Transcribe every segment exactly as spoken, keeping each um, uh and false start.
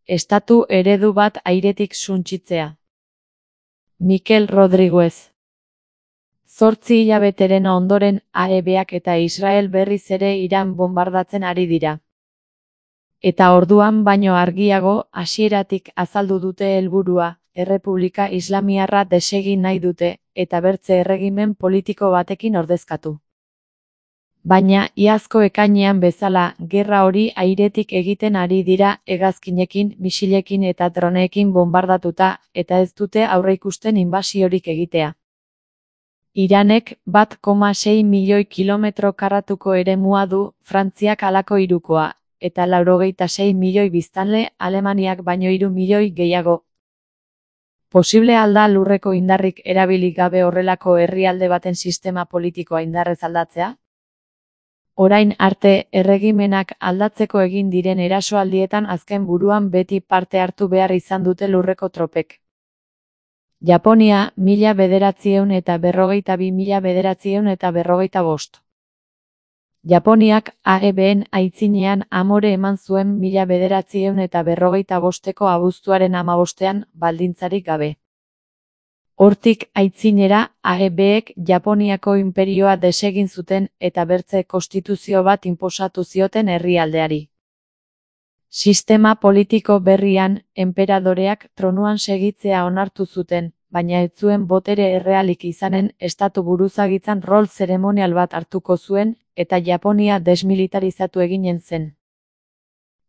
estatu eredu bat airetik suntsitzea. Mikel Rodriguez. Zortzi hilabeteren ondoren A E Bak eta Israel berriz ere Iran bonbardatzen ari dira. Eta orduan baino argiago, hasieratik azaldu dute helburua, Errepublika Islamiarra desegin nahi dute, eta bertze erregimen politiko batekin ordezkatu. Baina, iazko ekainean bezala, gerra hori airetik egiten ari dira hegazkinekin, misilekin eta droneekin bonbardatuta, eta ez dute aurreikusten inbasiorik egitea. Iranek bat koma sei milioi kilometro karratuko eremua du, Frantziak halako hirukoa, eta laurogeita sei milioi biztanle, Alemaniak baino hiru milioi gehiago. Posible alda lurreko indarrik erabilik gabe horrelako herrialde baten sistema politikoa indarrez aldatzea? Orain arte, erregimenak aldatzeko egin diren erasoaldietan azken buruan beti parte hartu behar izan dute lurreko tropek. Japonia, mila bederatziehun eta berrogeita bi mila bederatziehun eta berrogeita bost. Japoniak A E Bn aitzinean amore eman zuen mila bederatziehun eta berrogeita bosteko abuztuaren hamabostean baldintzarik gabe. Hortik aitzinera A E Bek Japoniako inperioa desegin zuten eta bertze konstituzio bat inposatu zioten herrialdeari. Sistema politiko berrian, enperadoreak tronuan segitzea onartu zuten, baina ez zuen botere errealik izanen estatu buruzagitzan rol zeremonial bat hartuko zuen, eta Japonia desmilitarizatu eginen zen.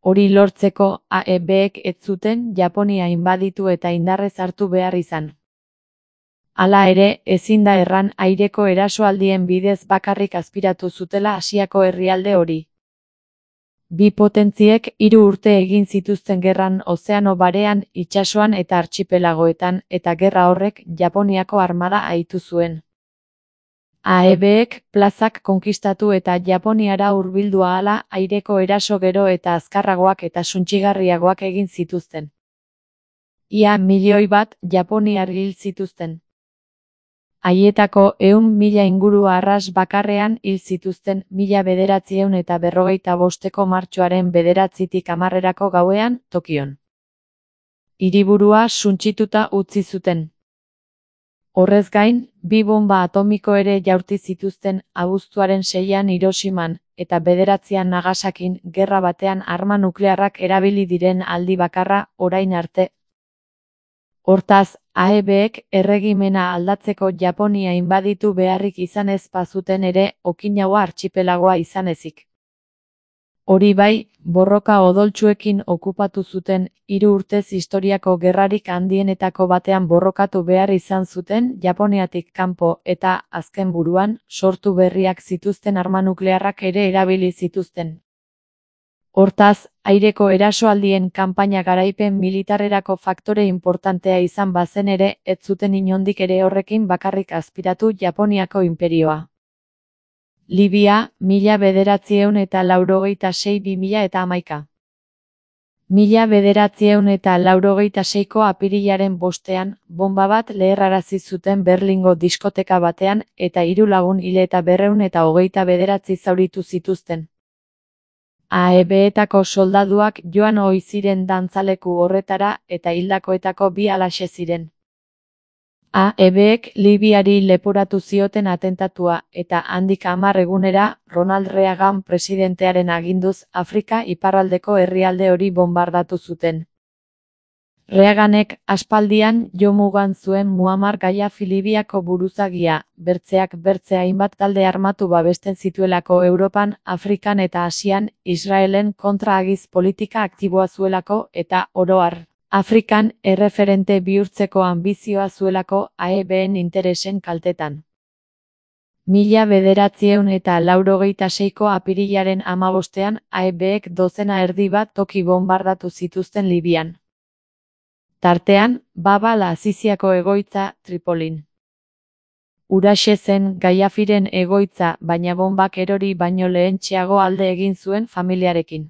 Hori lortzeko A E Bek ez zuten Japonia inbaditu eta indarrez hartu behar izan. Hala ere, ezin da erran aireko erasoaldien bidez bakarrik azpiratu zutela Asiako herrialde hori. Bi potentziek hiru urte egin zituzten gerran ozeano barean, itsasoan eta artxipelagoetan, eta gerra horrek Japoniako armada ahitu zuen. A E Bek plazak konkistatu eta Japoniara hurbildu ahala aireko eraso gero eta azkarragoak eta suntsigarriagoak egin zituzten. Ia milioi bat japoniar hil zituzten. Haietako ehun mila inguru arras bakarrean hil zituzten mila bederatziehun eta berrogeita bosteko martxoaren bederatzitik hamarrerako gauean, Tokion. Hiriburua suntsituta utzi zuten. Horrez gain, bi bonba atomiko ere jaurti zituzten abuztuaren seian Hiroshiman, eta bederatzian Nagasakin gerra batean arma nuklearrak erabili diren aldi bakarra orain arte. Hortaz, A E Bek erregimena aldatzeko Japonia inbaditu beharrik izan ez bazuten ere Okinawa artxipelagoa izan ezik. Hori bai, borroka odoltsuekin okupatu zuten, hiru urtez historiako gerrarik handienetako batean borrokatu behar izan zuten Japoniatik kanpo eta, azken buruan, sortu berriak zituzten arma nuklearrak ere erabili zituzten. Hortaz, aireko erasoaldien kanpaina garaipen militarrerako faktore inportantea izan bazen ere, ez zuten inondik ere horrekin bakarrik azpiratu Japoniako inperioa. Libia, mila bederatziehun eta laurogeita sei bi mila eta hamaika. Mila bederatziehun eta laurogeita seiko apirilaren bostean, bonba bat leherrarazi zuten Berlingo diskoteka batean eta hiru lagun hil eta berrehun eta hogeita bederatzi zauritu zituzten. A E Betako soldaduak joan ohi ziren dantzaleku horretara eta hildakoetako bi halaxe ziren. A E Bek Libiari leporatu zioten atentatua eta handik hamar egunera Ronald Reagan presidentearen aginduz Afrika iparraldeko herrialde hori bonbardatu zuten. Reaganek aspaldian jomugan zuen Muammar Gaddafi Libiako buruzagia, bertzeak bertze hainbat talde armatu babesten zituelako Europan, Afrikan eta Asian, Israelen kontra agiz politika aktiboa zuelako eta, oro har, Afrikan erreferente bihurtzeko anbizioa zuelako A E Bn interesen kaltetan. Mila bederatziehun eta laurogeita seiko apirilaren hamabostean A E Bek dozena erdi bat toki bonbardatu zituzten Libian. Tartean, Baba al-Aziziako egoitza, Tripolin. Huraxe zen Gaddafiren egoitza, baina bonbak erori baino lehentxeago alde egin zuen familiarekin.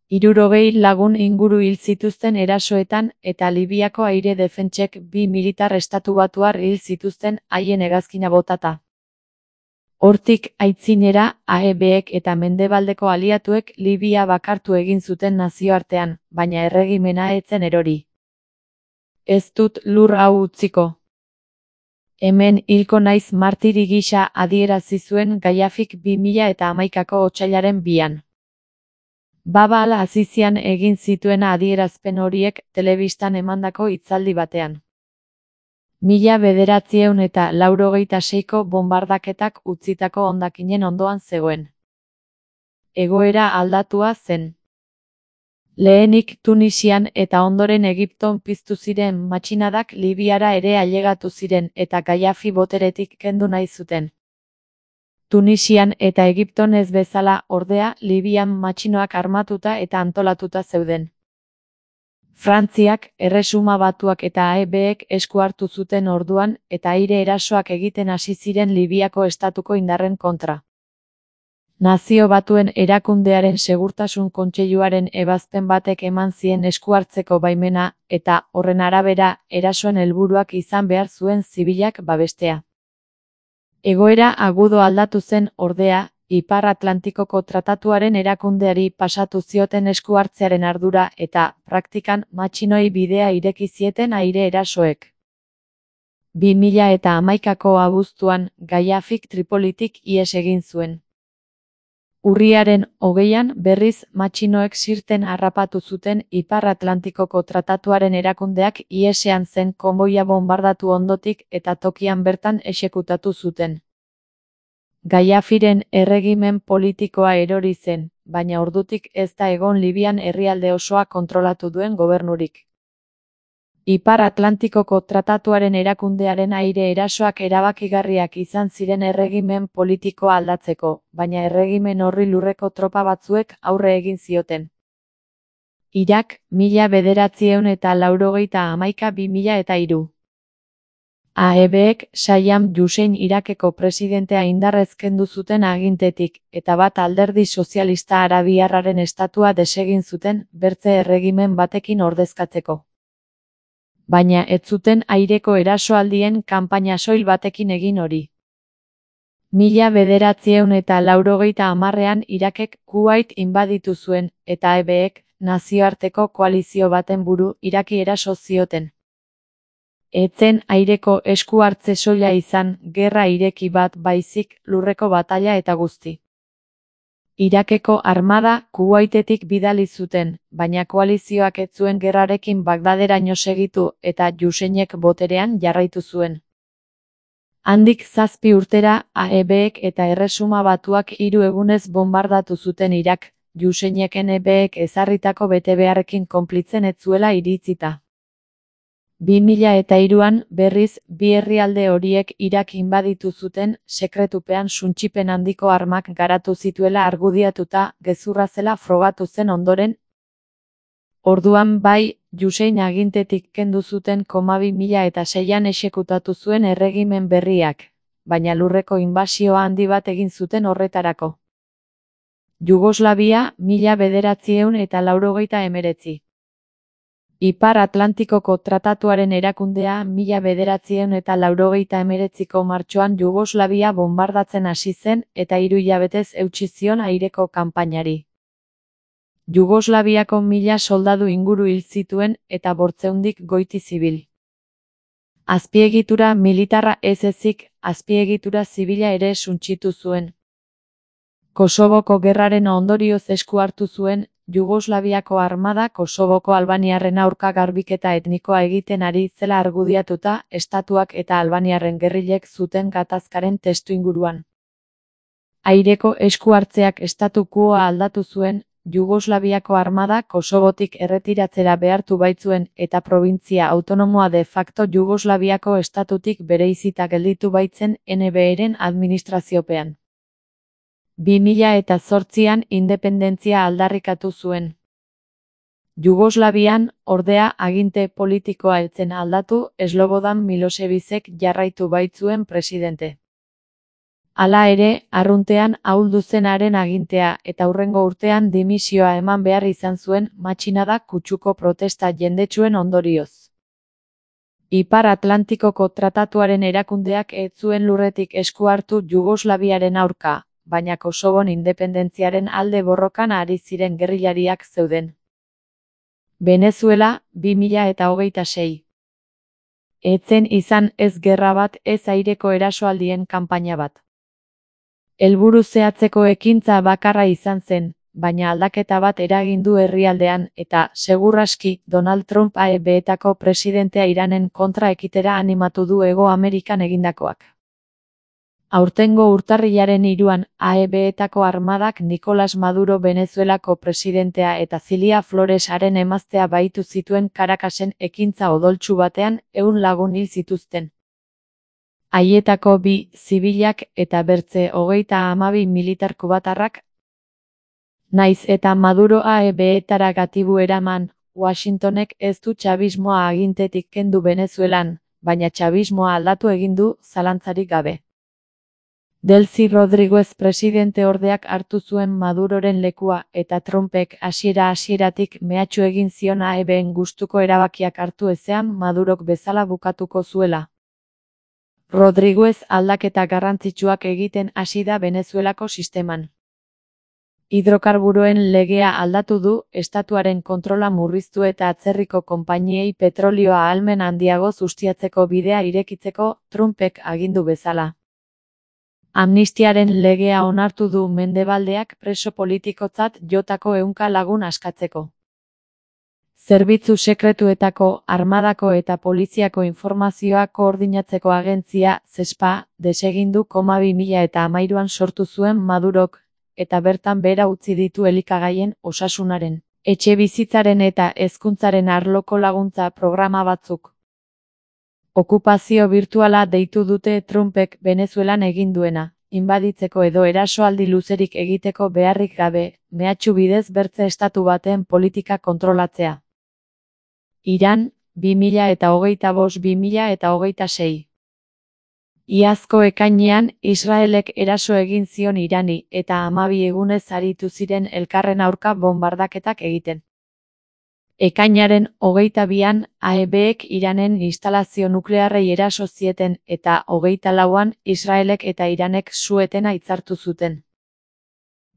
Hirurogei lagun inguru hil zituzten erasoetan eta Libiako aire defentsek bi militar estatubatuar hil zituzten haien hegazkina botata. Hortik aitzinera, A E Bek eta mendebaldeko aliatuek Libia bakartu egin zuten nazioartean, baina erregimena ez zen erori. Ez dut lur hau utziko. Hemen hilko naiz martiri gisa adierazi zuen Gaddafik bi mila eta hamaikako otsailaren bian. Baba al-Azizian egin zituen adierazpen horiek telebistan emandako hitzaldi batean. Mila bederatziehun eta laurogeita seiko bonbardaketak utzitako hondakinen ondoan zegoen. Egoera aldatua zen. Lehenik Tunisian eta ondoren Egipton piztu ziren matxinadak Libiara ere ailegatu ziren eta Gaddafi boteretik kendu nahi zuten. Tunisian eta Egipton ez bezala, ordea, Libian matxinoak armatuta eta antolatuta zeuden. Frantziak, Erresuma Batuak eta A E Bek esku hartu zuten orduan eta aire erasoak egiten hasi ziren Libiako estatuko indarren kontra. Nazio Batuen Erakundearen Segurtasun Kontseiluaren ebazpen batek eman zien esku hartzeko baimena eta, horren arabera, erasoen helburuak izan behar zuen zibilak babestea. Egoera agudo aldatu zen, ordea, Ipar Atlantikoko Tratatuaren erakundeari pasatu zioten esku hartzearen ardura eta, praktikan, matxinoi bidea ireki zieten aire erasoek. bi mila eta hamaikako abuztuan, Gaddafik Tripolitik ihes egin zuen. Urriaren hogeian berriz matxinoek Sirten harrapatu zuten Ipar Atlantikoko Tratatuaren erakundeak ihesean zen konboia bonbardatu ondotik eta tokian bertan exekutatu zuten. Gaddafiren erregimen politikoa erori zen, baina ordutik ez da egon Libian herrialde osoa kontrolatu duen gobernurik. Ipar Atlantikoko Tratatuaren erakundearen aire erasoak erabakigarriak izan ziren erregimen politikoa aldatzeko, baina erregimen horri lurreko tropa batzuek aurre egin zioten. Irak, mila bederatziehun eta laurogeita hamaika bi mila eta hiru. A E Bek Saddam Hussein Irakeko presidentea indarrez kendu zuten agintetik, eta bat alderdi sozialista arabiarraren estatua desegin zuten bertze erregimen batekin ordezkatzeko. Baina ez zuten aireko erasoaldien kanpaina soil batekin egin hori. Mila bederatziehun eta laurogeita hamarrean Irakek Kuwait inbaditu zuen, eta A E Bek nazioarteko koalizio baten buru Iraki eraso zioten. Ez zen aireko esku hartze soila izan, gerra ireki bat baizik, lurreko batalla eta guzti. Irakeko armada Kuwaitetik bidali zuten, baina koalizioak ez zuen gerrarekin Bagdaderaino segitu eta Husseinek boterean jarraitu zuen. Handik zazpi urtera, A E Bek eta Erresuma Batuak hiru egunez bonbardatu zuten Irak, Husseineken A E Bek ezarritako betebeharrekin konplitzen ez zuela iritzita. bi mila eta hiruan, berriz, bi herrialde horiek Irak inbaditu zuten, sekretupean suntsipen handiko armak garatu zituela argudiatuta, gezurra zela frogatu zen ondoren. Orduan bai, Hussein agintetik kendu zuten koma bi mila eta seian exekutatu zuen erregimen berriak, baina lurreko inbasioa handi bat egin zuten horretarako. Jugoslavia, mila bederatziehun eta laurogeita hemeretzi. Ipar Atlantikoko Tratatuaren erakundea mila bederatziehun eta laurogeita hemeretziko martxoan Jugoslavia bonbardatzen hasi zen eta hiru hilabetez eutsi zion aireko kanpainari. Jugoslaviako mila soldadu inguru hil zituen eta bortzeundik goiti zibil. Azpiegitura militarra ez ezik, azpiegitura zibila ere suntsitu zuen. Kosovoko gerraren ondorioz esku hartu zuen, Jugoslaviako armada Kosovoko albaniarren aurka garbiketa etnikoa egiten ari zela argudiatuta, estatuak eta albaniarren gerrilek zuten gatazkaren testuinguruan. Aireko esku hartzeak statu quoa aldatu zuen, Jugoslaviako armada Kosovotik erretiratzera behartu baitzuen eta probintzia autonomoa de facto Jugoslaviako estatutik bereizita gelditu baitzen N B Eren administraziopean. bi mila eta zortzian independentzia aldarrikatu zuen. Jugoslavian, ordea, aginte politikoa ez zen aldatu, Slobodan Milosevicek jarraitu baitzuen presidente. Hala ere, arruntean ahuldu zenaren agintea eta hurrengo urtean dimisioa eman behar izan zuen matxinada kutsuko protesta jendetsuen ondorioz. Ipar Atlantikoko tratatuaren erakundeak ez zuen lurretik esku hartu Jugoslaviaren aurka, baina Kosovon independentziaren alde borrokan ari ziren gerrillariak zeuden. Venezuela, bi mila hogeita sei. Ez zen izan ez gerra bat ez aireko erasoaldien kanpaina bat. Helburu zehatzeko ekintza bakarra izan zen, baina aldaketa bat eragin du herrialdean eta, seguraski, Donald Trump A E B-etako presidentea Iranen kontra ekitera animatu du Hego Amerikan egindakoak. Aurtengo urtarrilaren hiruan, A E B-etako armadak Nicolás Maduro Venezuelako presidentea eta Zilia Flores haren emaztea bahitu zituen Caracasen ekintza odoltsu batean ehun lagun hil zituzten. Haietako bi zibilak eta bertze hogeita hamabi militar kubatarrak. Naiz eta Maduro A E B-etara gatibu eraman, Washingtonek ez du txabismoa agintetik kendu Venezuelan, baina txabismoa aldatu egin du, zalantzarik gabe. Delcy Rodríguez presidente ordeak hartu zuen Maduroren lekua eta Trumpek hasiera-hasieratik mehatxu egin zion A E B-en gustuko erabakiak hartu ezean Madurok bezala bukatuko zuela. Rodríguez aldaketa garrantzitsuak egiten hasi da Venezuelako sisteman. Hidrokarburoen legea aldatu du, estatuaren kontrola murriztu eta atzerriko konpainiei petrolioa ahalmen handiagoz ustiatzeko bidea irekitzeko Trumpek agindu bezala. Amnistiaren legea onartu du Mendebaldeak preso politikotzat jotako ehunka lagun askatzeko. Zerbitzu sekretuetako, armadako eta poliziako informazioa koordinatzeko agentzia, ZESPA, desegindu bi mila hamairuan sortu zuen Madurok, eta bertan behera utzi ditu elikagaien, osasunaren, etxebizitzaren eta hezkuntzaren arloko laguntza programa batzuk. Okupazio birtuala deitu dute Trumpek Venezuelan egin duena, inbaditzeko edo erasoaldi luzerik egiteko beharrik gabe, mehatxu bidez bertze estatu baten politika kontrolatzea. Iran, bi mila hogeita bost bi mila hogeita sei. Iazko ekainean, Israelek eraso egin zion Irani eta hamabi egunez aritu ziren elkarren aurka bonbardaketak egiten. Ekainaren hogeita bian, A E B-ek Iranen instalazio nuklearrei eraso zieten eta hogeita lauan Israelek eta Iranek su-etena hitzartu zuten.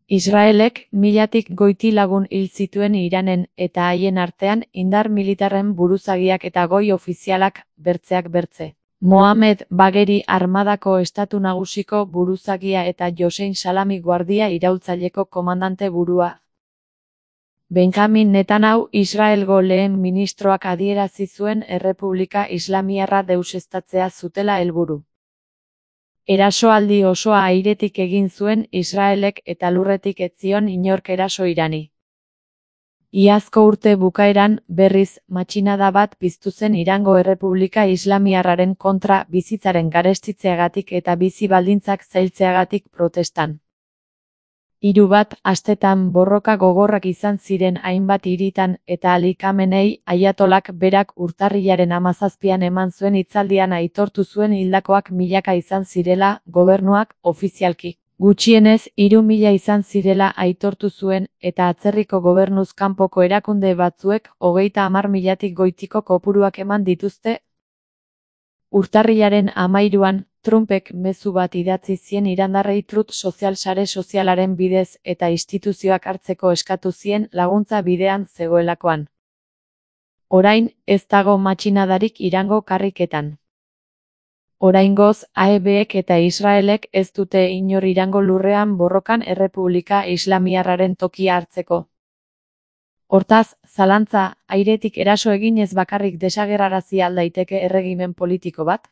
Israelek milatik goiti lagun hil zituen Iranen eta haien artean indar militarren buruzagiak eta goi ofizialak, bertzeak bertze. Mohamed Bagheri armadako estatu nagusiko buruzagia eta Josein Salami guardia iraultzaileko komandante burua. Benjamin Netanyahu Israelgo lehen ministroak adierazi zuen Errepublika Islamiarra deuseztatzea zutela helburu. Erasoaldi osoa airetik egin zuen Israelek eta lurretik ez zion inork eraso Irani. Iazko urte bukaeran, berriz, matxinada bat piztu zen Irango Errepublika Islamiarraren kontra bizitzaren garestitzeagatik eta bizi baldintzak zailtzeagatik protestan. Hiru bat astetan borroka gogorrak izan ziren hainbat hiritan eta Ali Khamenei aiatolak berak urtarrilaren hamazazpian eman zuen hitzaldian aitortu zuen hildakoak milaka izan zirela, gobernuak, ofizialki. Gutxienez, hiru mila izan zirela aitortu zuen eta atzerriko gobernuz kanpoko erakunde batzuek hogeita hamar milatik goitiko kopuruak eman dituzte. Urtarrilaren hamairuan, Trumpek mezu bat idatzi zien irandarrei Truth Social sare sozialaren bidez eta instituzioak hartzeko eskatu zien laguntza bidean zegoelakoan. Orain, ez dago matxinadarik Irango karriketan. Oraingoz, A E B-ek eta Israelek ez dute inor Irango lurrean borrokan Errepublika Islamiarraren tokia hartzeko. Hortaz, zalantza, airetik eraso eginez bakarrik desagerrarazi al daiteke erregimen politiko bat?